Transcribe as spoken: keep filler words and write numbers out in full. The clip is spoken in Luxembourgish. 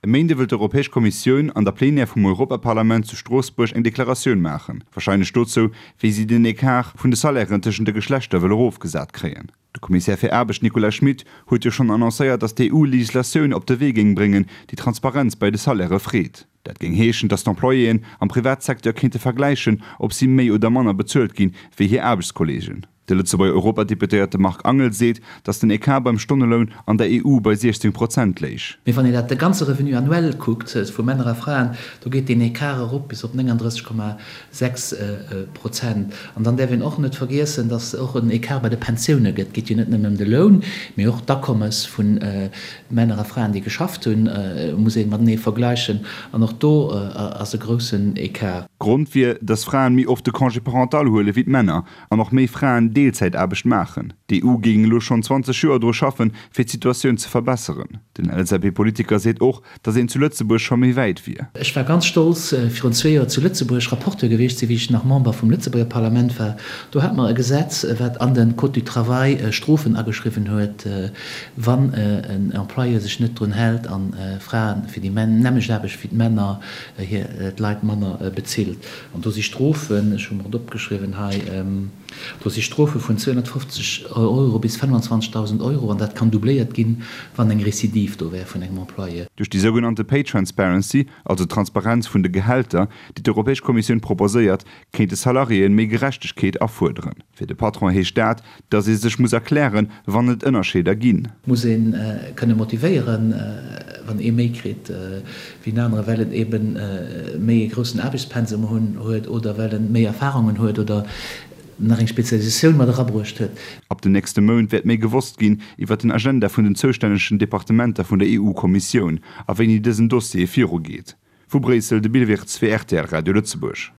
E Méinde wëll d'Europäesch Kommissioun an der Plenière vum Europaparlament zu Stroossbuerg eng Deklaratioun maachen, warscheinlech dozou, wéi si den Ecart vun de Salairen tëschent de Geschlechter wëll erofgesat kréien. De Kommissär fir Aarbecht Nicolas Schmit huet jo schonn annoncéiert, datt d'EU Legislatioun op de Wee géing bréngen, déi Transparenz bei de Salairë freet. Dat géing heeschen, datt d'Employéen am Privatsecteur kéinte vergläichen, ob si méi oder manner bezuelt ginn, wéi hir Aarbechtskolleegen. De Lëtzebuerger Europadeputéierte Marc Angel seet, datt den Ecart beim Stonneloun an der EU bei siechzéng Prozent léich. Mee wann een dat de ganze Revenu annuel kuckt vu Männer a Fraen, do geet deen Ecart erop bis op nénganddrësseg Komma sechs Prozent. An dann däerf een och net vergiessen, datt et och en Ecart bei de Pensioune gëtt. Et geet jo net nëmmen ëm de Loun, mee och d'Akommes vu Männer a Fraen, déi geschafft hunn, muss ee matenee vergläichen. An och do ass e groussen Ecart. Grond wier, datt Fraen méi oft de Congé parental huele wéi d'Männer an och méi Fraen Deelzäitaarbecht maachen. D'EU géing elo schonn zwanzeg Joer dru schaffen, fir d'Situatioun ze verbesseren. Den L S A P-Politiker seet och, datt een zu Lëtzebuerg scho méi wäit wier. Ech war ganz stolz, virun zwee Joer zu Lëtzebuerg Rapporteur gewiescht ze sinn, wéi ech nach Member vum Lëtzebuerger Parlament war. Do hate mer e Gesetz, wat an de Code du travail Strofen ageschriwwen huet, wann en Employeur sech net drun hält a Frae fir déi nämmlecht Aarbecht wéi d'Männer hir d'Leit manner bezilt. An do si Strofen, ech hu mer et opgeschriwwen hei, do si Strofe vun zweehonnertfofzeg Euro bis fënnwanzwanzegdausend Euro, an dat kann doubléiert ginn, wann eng Recidive do wär vun engem Employé. Duerch déi sougenannte Pay Transparency, also d'Transparenz vun de Gehälter, déi d'Europäesch Kommissioun proposéiert, kéinte Salariéen méi Gerechtegkeet afuerderen. Fir de Patron heescht dat, datt ee sech muss erklären, wann et Ënnerscheeder ginn. Muss ee kënne motivéieren, wann ee méi kritt wéi en anere, well en ebe méi e groussen Aarbechtspensum huet oder well en méi Erfahrungen huet oder nach eng Spezialisatioun mat erabruecht huet. Ab den nächste Mount wäert méi gewosst ginn iwwer den Agenda vun den zoustännegen Departementer vun der E U-Kommissioun a wéini dësen Dossier virugeet. Vu Bréissel de Bill Wirtz fir R T L Radio Lëtzebuerg.